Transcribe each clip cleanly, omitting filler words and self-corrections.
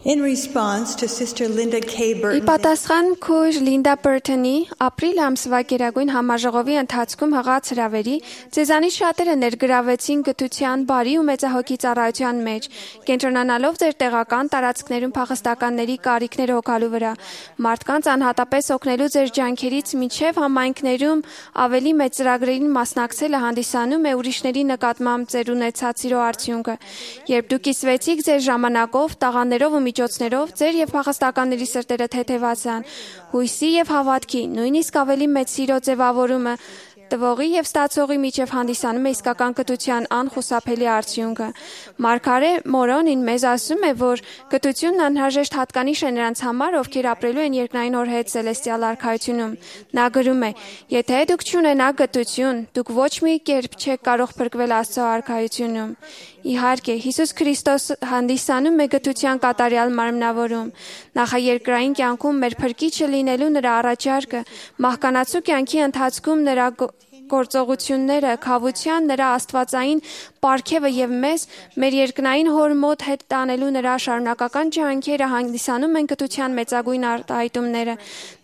In response to Sister Linda K. Ի Burton's պատասխան քույր Լինդա Բերթոնի ապրիլ ամսվա գերագույն համաժողովի ընթացքում հղած հրավերի, ձեզանից շատերը ներգրավեցին գթության բարի ու մեծահոգի ծառայության մեջ, կենտրոնանալով ձեր տեղական տարածքներում փախստականների կարիքները հոգալու վրա, մարդկանց անհատապես օգնելու ձեր ջանքերից մինչև համայնքներում ավելի մեծ ծրագրերին մասնակցելը հանդիսանում է ուրիշների նկատմամբ ձեր ունեցած սիրո արդյունքը, երբ դուք կիսվեցիք ձեր ժամանակով, տաղաններով ու միջոցներով ձեր եւ փախստականների սրտերը թեթևացան, հույսի եւ հավատքի, նույնիսկ ավելի մեծ սիրո ձևավորումը տվողի եւ ստացողի միջև հանդիսանում է իսկական կտության անխուսափելի արդյունքը։ Մարգարե Մորոնին մեզ ասում է, որ կտությունն անհրաժեշտ հատկանիշ է նրանց համար, ովքեր ապրելու են երկնային օրհետ Սելեստիալ արքայությունում։ Նա գրում է. «Եթե դուք չունենաք կտություն, դուք ոչ մի կերպ չեք կարող փրկվել Աստծո արքայությունում»։ Իհարկե, Հիսուս Քրիստոս հանդիսանում է գթության կատարյալ մարմնավորում։ Նախաերկրային կյանքում մեր փրկիչը լինելու նրա առաջարկը, մահկանացու կյանքի ընթացքում նրա գործողությունները, քավության նրա աստվածային պարգևը եւ մեզ մեր երկնային հոր մոտ հետ տանելու նրա շարունակական ջանքերը հանդիսանում են գթության մեծագույն արտահայտումները։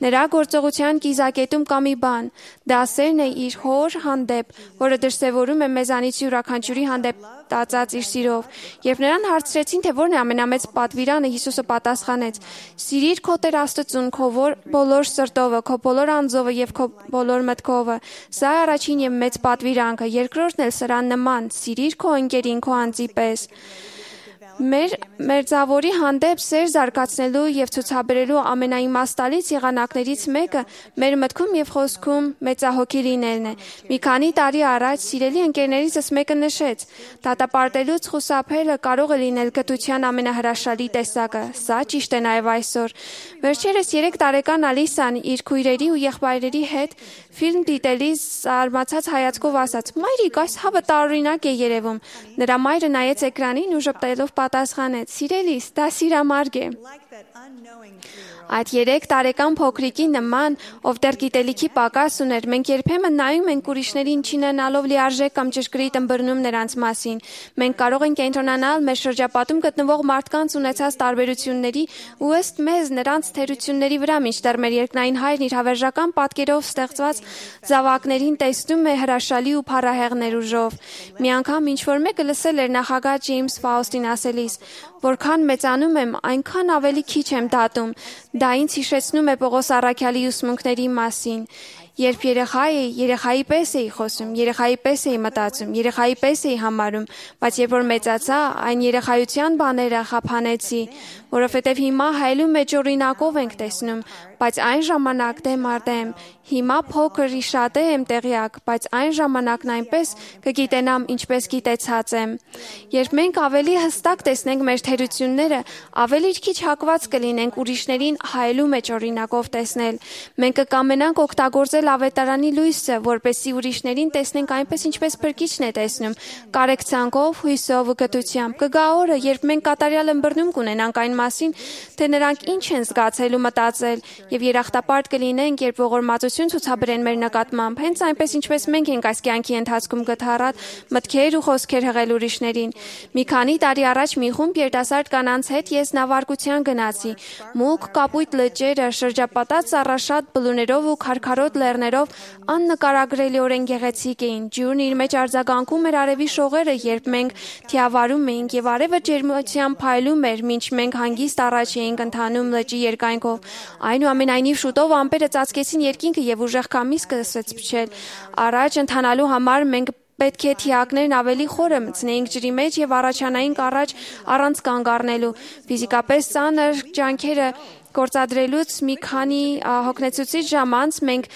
Նրա գործողության կիզակետում կա մի բան՝ դա սերն է իր հոր հանդեպ, որը դրսևորում է մեզանից յուրաքանչյուրի հանդեպ տածած իր սիրով։ Երբ նրան հարցրեցին, թե որն է ամենամեծ պատվիրանը, Հիսուսը պատասխանեց. «Սիրիր քո Տեր Աստծուն քո բոլոր սրտովը, քո բոլոր անձովը եւ քո բոլոր մտքովը»։ Սա է առաջին եւ մեծ պատվիրանքը, երկրորդն էլ սրան նման՝ սիրիր քո ընկերին քո անձի պես։ Մեր մերձավորի հանդեպ սեր զարգացնելու եւ ցուցաբերելու ամենաիմաստալից եղանակներից մեկը մեր մտքում եւ խոսքում մեծահոգի լինելն է։ Մի քանի տարի առաջ սիրելի ընկերներիցս մեկը նշեց. դատապարտելուց խուսափելը կարող է լինել գթության ամենահրաշալի տեսակը։ Սա ճիշտ է նաեւ այսօր։ Վերջերս 3 տարեկան Ալիսան իր քույրերի ու եղբայրերի հետ ֆիլմ դիտելիս զարմացած հայացքով ասաց. «Մայրիկ, այս հավը տարօրինակ է երևում»։ Նրա մայրը նայեց էկրանին ու ժպտելով պատասխանեց. «Սիրելիս, դա սիրամարգ է»։ Այդ 3 տարեկան փոքրիկի նման, ով դեռ գիտելիքի պակաս ուներ, մենք երբեմն նայում ենք ուրիշներին չունենալով լիարժեք կամ ճշգրիտ ըմբռնում նրանց մասին։ Մենք կարող ենք կենտրոնանալ մեր շրջապատում գտնվող մարդկանց ունեցած տարբերությունների ու ըստ մեզ նրանց թերությունների վրա, մինչդեռ մեր երկնային Հայրն իր հավերժական պատկերով ստեղծված զավակներին տեսնում է հրաշալի ու փառահեղ ներուժով։ Մի անգամ ինչ-որ մեկը լսել էր նախագահ Ջեյմս Ֆաուստին ասելիս. «Որքան մեծանում եմ, այնքան ավելի քիչ եմ դատում»։ Դա ինձ հիշեցնում է Պողոս առաքյալի ուսմունքների մասին։ Երբ երեխա էի, երեխայի պես էի խոսում, երեխայի պես էի մտածում, երեխայի պես էի համարում, բայց երբ որ մեծացա, այն երեխայության բաները խափանեցի, որովհետև հիմա հայելու մեջ օրինակով ենք տեսնում, բայց այն ժամանակ դեմ առ դեմ։ Հիմա փոքր իշատե եմ տեղյակ, բայց այն ժամանակն այնպես կգիտենամ, ինչպես գիտեցած եմ։ Երբ մենք ավելի հստակ տեսնենք մեր թերությունները, ավելի քիչ հակված կլինենք ուրիշներին հայելու մեջ օրինակով տեսնել։ Մենք կկամենանք օգտագործել ավետարանի լույսը, որպեսզի ուրիշներին տեսնենք այնպես, ինչպես Փրկիչն է տեսնում, կարեկցանքով, հույսով ու գթությամբ։ Կգա օրը, երբ մենք կատարյալ ըմբռնում կունենանք այն մասին, թե նրանք ինչ են զգացել ու մտածել, եւ երախտապարտ կլինենք, երբ ողորմածություն ցուցաբերեն մեր նկատմամբ, հենց այնպես ինչպես մենք ենք այս կյանքի ընթացքում գթառատ մտքեր ու խոսքեր հղել ուրիշներին։ Մի քանի տարի առաջ մի խումբ երիտասարդ կանանց հետ ես նավարկության գնացի։ Մուգ կապույտ լճերը շրջապատած ծառաշատ բլուրներով ու քարքարոտ լեռներով աննկարագրելիորեն գեղեցիկ էին։ Ջուրն իր մեջ արձագանքում էր արևի շողերը, երբ մենք թիավարում էինք, եւ արևը ջերմությամբ փայլում էր, մինչ մենք հանգիստ առաջ էինք ընթանում լճի երկայնքով։ Այնուամենայնիվ շուտով ամպերը ծածկեցին երկինքը եւ ուժեղ քամի սկսեց փչել։ Առաջ ընթանալու համար մենք պետք է թիակներն ավելի խորը մտցնեինք ջրի մեջ եւ առաջանայինք առաջ առանց կանգ առնելու։ Ֆիզիկապես ծանր ջանքերը գործադրելուց մի քանի հոգնեցուցիչ ժամ անց մենք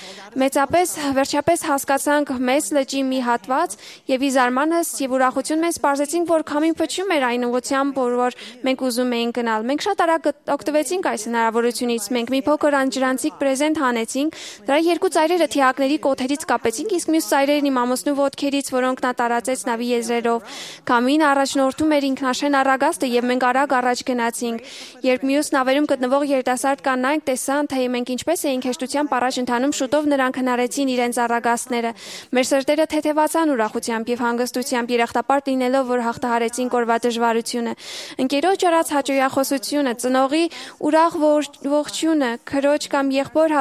վերջապես հասկացանք մեծ լճի մի հատված եւ ի զարմանս եւ ուրախություն մեզ պարզեցինք, որ քամին փչում էր այն ուղղությամբ, որ մենք ուզում էինք գնալ։ Մենք շատ արագ օգտվեցինք այս հնարավորությունից։ Մենք մի փոքր անջրանցիկ պրեզենտ հանեցինք, դրա 2 ծայրերը թիակների կոթերից կապեցինք, իսկ մյուս ծայրերն իմ ամուսնու ոտքերից, որոնք նա տարածեց նավի եզրերով։ Քամին առաջնորդում էր ինքնաշեն առագաստը եւ մենք արագ առաջ գնացինք։ Երբ մյուս նավերում գտնվող երիտասարդ կանայք տեսան, թե մենք ինչպես էինք հեշտությամբ առաջ ընթանում, շուտով նրանք հնարեցին իրենց առագաստները։ Մեր սրտերը թեթևացան ուրախությամբ եւ հանգստությամբ, երախտապարտ լինելով, որ հաղթահարեցին կորված դժվարությունը։ Ընկերոջ արած հաճոյախոսությունը, ծնողի ուրախ ողջությունը, քրոջ կամ եղբոր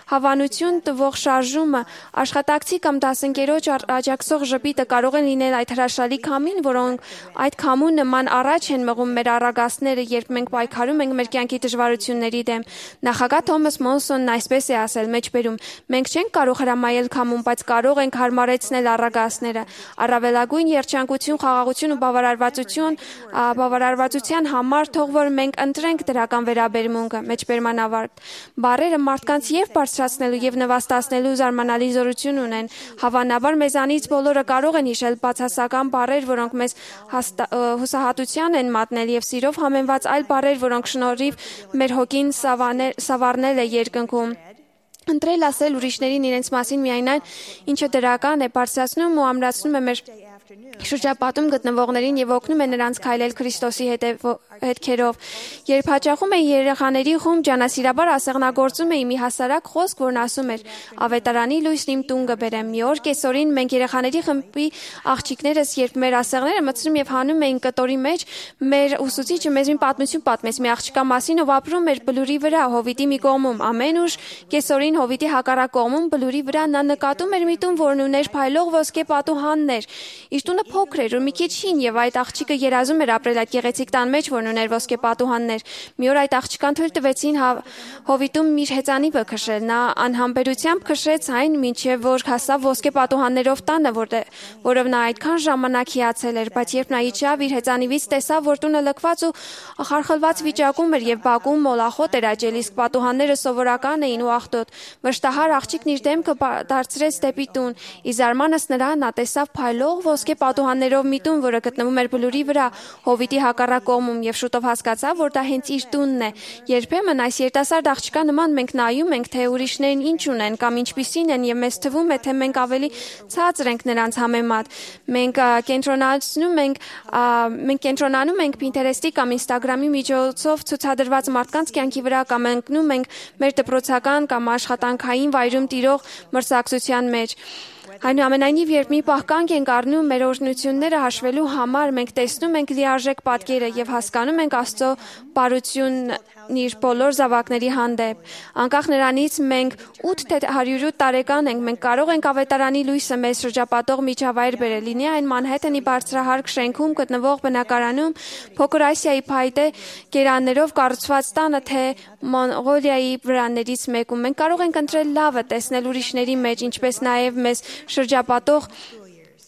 հավանություն տվող շարժումը, աշխատակցի կամ դասընկերոջ աջակցող ժպիտը կարող են լինել այդ հրաշալի քամին, որոնք այդ քամու նման առաջ են մղում մեր առագաստները, երբ մենք պայքարում ենք մեր կյանքի դժվարությունների դեմ։ Նախագահ Թոմաս Մոնսոնն այսպես է ասել մեջբերում. մենք չենք կարող հրամայել քամուն, բայց կարող ենք հարմարեցնել առագաստները։ Առավելագույն երջանկություն, խաղաղություն ու բավարարվածության համար թող որ մենք ընտրենք դրական վերաբերմունքը։ Մեջբերման ավարտ։ Բառերը մարդկանց եւ բարձրացնելու եւ նվաստացնելու զարմանալի զորություն ունեն։ Հավանաբար մեզանից բոլորը կարող են հիշել բացասական բառեր, որոնք մեզ հուսահատության են մատնել եւ սիրով համեմված այլ բառեր, որոնք շնորհիվ մեր հոգին սավառնել է երկնքում։ Ընտրել ասել ուրիշներին իրենց մասին միայն այն, ինչը դրական է, բարձրացնում ու ամրացնում է մեր շրջապատում գտնվողներին եւ օգնում է նրանց քայլել Քրիստոսի հետքերով։ Երբ հաճախում էի երեխաների խումբ, ջանասիրաբար ասեղնագործում էի մի հասարակ խոսք, որն ասում էր. «Ավետարանի լույսն իմ տուն կբերեմ»։ Մի օր կեսօրին մենք երեխաների խմբի աղջիկներս, երբ մեր ասեղները մտցնում եւ հանում էին կտորի մեջ, մեր ուսուցիչը մեզ մի պատմություն պատմեց մի աղջկա մասին, ով ապրում էր բլուրի վրա, հովիտի մի կողմում։ Ամեն ուշ կեսօրին հովիտի հակառակ կողմում բլուրի վրա նա նկատում էր մի տուն, որն ուներ փայլող ոսկե պատուհաններ։ Իր տունը փոքր էր ու մի քիչ հին եւ այդ աղջիկը երազում էր ապրել այդ գեղեցիկ տան մեջ, որն ուներ ոսկե պատուհաններ։ Մի օր այդ աղջկան թույլ տվեցին հովիտում իր հեծանիվը քշել։ Նա անհամբերությամբ քշեց այն, մինչև որ հասավ ոսկե պատուհաններով տանը, որով նա այդքան ժամանակ հիացել էր, բայց երբ նա իջավ իր հեծանիվից, տեսավ, որ տունը լքված ու խարխլված վիճակում էր եւ բակում մոլախոտ էր աճել, իսկ պատուհանները սովորական էին ու աղտոտ։ Վշտահար աղջիկն իր դեմքը դարձրեց դեպի տուն։ Ի զարմանս նրան նա տեսավ փայլող ոսկե պատուհաններով մի տուն, որը գտնվում էր բլուրի վրա, հովիտի հակառակ կողմում, եւ շուտով հասկացավ, որ դա հենց իր տունն է։ Երբեմն այս երիտասարդ աղջկա նման մենք նայում ենք, թե ուրիշներն ինչ ունեն կամ ինչպիսին են, եւ մեզ թվում է, թե մենք ավելի ցածր ենք նրանց համեմատ։ Մենք կենտրոնանում ենք Pinterest-ի կամ Instagram-ի միջոցով ցուցադրված մարդկանց կյանքի վրա կամ ընկնում ենք մեր դպրոցական կամ աշխատանքային վայրում տիրող մրցակցության մեջ։ Այնուամենայնիվ, երբ մի պահ կանգ ենք առնում մեր օրհնությունները հաշվելու համար, մենք տեսնում ենք լիարժեք պատկերը եւ հասկանում ենք Աստծո բարությունն իր բոլոր զավակների հանդեպ։ Անկախ նրանից մենք 8 թե 108 տարեկան ենք, մենք կարող ենք ավետարանի լույսը մեզ շրջապատող միջավայր բերել, լինի այն Մանհեթենի բարձրահարկ շենքում գտնվող բնակարանում, Փոքր Ասիայի փայտե գերաններով կառուցված տանը, թե Մոնղոլիայի վրաներից մեկում։ Մենք կարող ենք ընտրել լավը, տեսնել ուրիշների մեջ, ինչպես նաև մեզ շրջապատող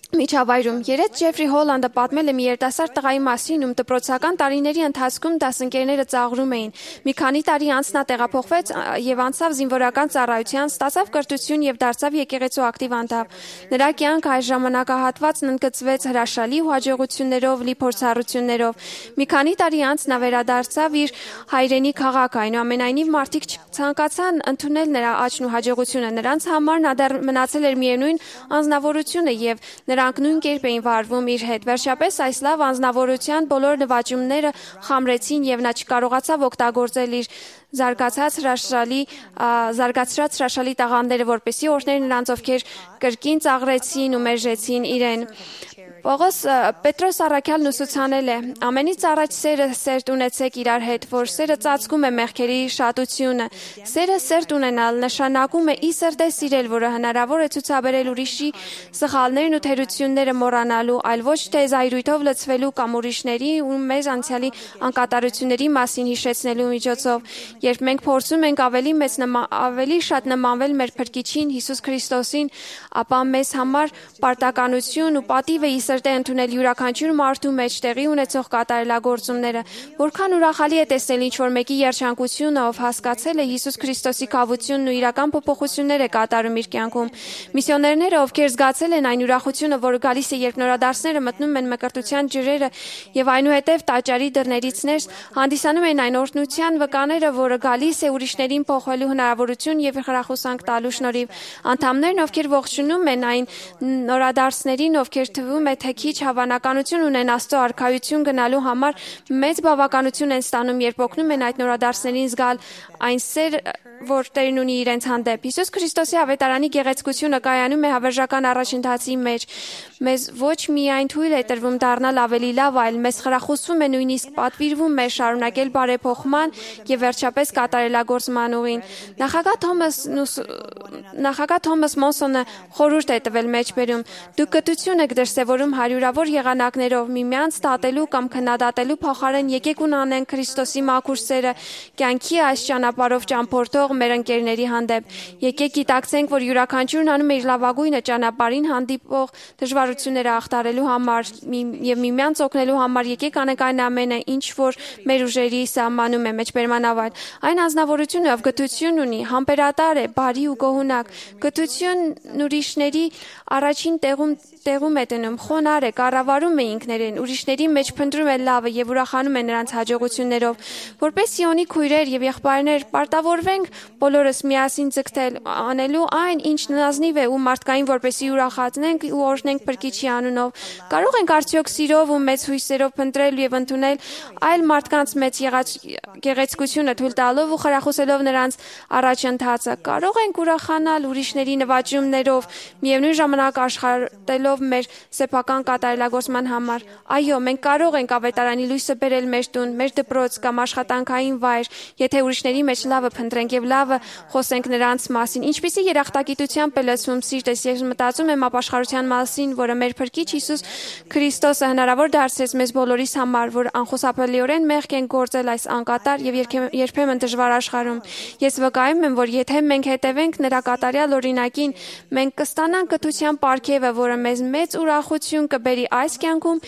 միջավայրում։ Երեկ Ջեֆրի Հոլանդը պատմել է մի երիտասարդ տղայի մասին, ում դպրոցական տարիների ընթացքում դասընկերները ծաղրում էին։ Մի քանի տարի անց նա տեղափոխվեց եւ անցավ զինվորական ծառայության, ստացավ կրթություն եւ դարձավ եկեղեցու ակտիվ անդամ։ Նրա կյանքը այս ժամանակահատվածն ընդգծվեց հրաշալի ու հաջողություններով լի փորձառություններով։ Մի քանի տարի անց նա վերադարձավ իր հայրենի քաղաք, այնուամենայնիվ մարդիկ ցանկացան ընդունել նրա աճն ու հաջողությունը։ Նրանց համար նա դեռ մնացել էր միևնույն անձնավորությունը եւ նրանք նույն կերպ էին վարվում իր հետ։ Վերջապես այս լավ անձնավորության բոլոր նվաճումները խամրեցին եւ նա չկարողացավ օգտագործել իր զարգացրած հրաշալի տաղանդերը, որպեսզի օրհներ նրանց, ովքեր կրկին ծաղրեցին ու մերժեցին իրեն։ Պետրոս առաքյալն ուսուցանել է. ամենից առաջ սերը սերտ ունեցեք իրար հետ, որ սերը ծածկում է մեղքերի շատությունը։ Սերը սերտ ունենալ նշանակում է ի սրտե սիրել, որը հնարավոր է ցուցաբերել ուրիշի սխալներն ու թերությունները մոռանալու, այլ ոչ թե զայրույթով լցվելու կամ ուրիշների ու մեզ անցյալի անկատարությունների մասին հիշեցնելու միջոցով։ Երբ մենք փորձում ենք ավելի շատ նմանվել մեր Փրկիչին Հիսուս Քրիստոսին, ապա մեզ համար պարտականություն ու պատիվ է սրտե ընդունել յուրաքանչյուր մարդու մեջ տեղի ունեցող կատարելագործումները։ Որքան ուրախալի է տեսնել ինչ-որ մեկի երջանկությունը, ով հասկացել է Հիսուս Քրիստոսի կավությունն ու իրական փոփոխություններ է կատարում իր կյանքում։ Միսիոներները, ովքեր զգացել են այն ուրախությունը, որը գալիս է, երբ նորադարձները մտնում են մկրտության ջրերը եւ այնուհետեւ տաճարի դռներից ներս, հանդիսանում են այն օրհնության վկաները, որը գալիս է ուրիշներին փոխելու հնարավորություն եւ խրախուսանք տալու շնորհիվ։ Անդամներն, ովքեր ողջունում են այն նորադարձներին, ովքեր թվում է, թե քիչ հավանականություն ունեն Աստծո արքայություն գնալու համար, մեծ բավականություն են ստանում, երբ օգնում են այդ նորադարձներին զգալ այն սեր, որ Տերն ունի իրենց հանդեպ։ Հիսուս Քրիստոսի ավետարանի գեղեցկությունը կայանում է հավերժական առաջընթացի մեջ։ Մեզ ոչ միայն թույլ է տրվում դառնալ ավելի լավ, այլ մեզ խրախուսվում է նույնիսկ պատվիրվում է շարունակել բարեփոխման եւ վերջապես կատարելագործման ուղին։ Նախագահ Թոմաս Մոնսոնը խորհուրդ է տվել մեջբերում. դուք կտություն եք դրսևորում հարյուրավոր եղանակներով, միմյանց դատելու կամ քննադատելու փոխարեն եկեք ունենանք Քրիստոսի մաքուր սերը, կյանքի այս ճանապարհով ճամփորդող մեր ընկերների հանդեպ։ Եկեք գիտակցենք, որ յուրաքանչյուրն անում է իր լավագույնը ճանապարհին հանդիպող դժվարությունները ախտարելու համար եւ միմյանց օգնելու համար։ Եկեք անենք այն ամենը, ինչ որ մեր ուժերի սահմանում է մեջբերմանավար։ Այն անձնավորությունը, ով գթություն ունի, համբերատար է, բարի ու գոհունակ։ Գթությունն ուրիշների առաջին տեղում է դնում, խոնարհ է, կառավարում է ինքներին, ուրիշների մեջ փնտրում է լավը եւ ուրախանում է նրանց հաջողություններով։ Որպես Սիոնի քույրեր եւ եղբայրներ պարտավորվենք բոլորս միասին ձգտել անելու այն, ինչ նազնիվ է ու մարդկային, որպեսզի ուրախացնենք ու օրհնենք Փրկիչի անունով։ Կարող ենք արդյոք սիրով ու մեծ հույսերով փնտրել եւ ընդունել այլ մարդկանց մեծ գեղեցկությունը թույլ տալով ու խրախուսելով նրանց առաջընթացը։ Կարող ենք ուրախանալ ուրիշների նվաճումներով, միևնույն ժամանակ աշխատելով մեր սեփական կատարելագործման համար։ Այո, մենք կարող ենք ավետարանի լույսը բերել մեր տուն, մեր դպրոց կամ աշխատանքային վայր, եթե ուրիշների մեջ լավը փնտրենք եւ լավը խոսենք նրանց մասին։ Ինչպիսի երախտագիտությամբ է լցվում սիրտս, ես մտածում եմ ապաշխարության մասին, որը մեր Փրկիչ Հիսուս Քրիստոսը հնարավոր դարձրեց մեզ բոլորիս համար, որ անխուսափելիորեն մեղք ենք գործել այս անկատար եւ երբեմն դժվար աշխարհում։ Ես վկայում եմ, որ եթե մենք հետևենք նրա կատարյալ օրինակին, մենք կստանանք կթության պարգևը, որը մեզ մեծ ուրախություն կբերի այս կյանքում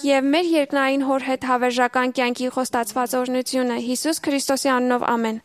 եւ մեր երկնային հոր հետ հավերժական կյանքի խոստացված օրհնությունը։ Հիսուս Քրիստոսի անունով ամեն։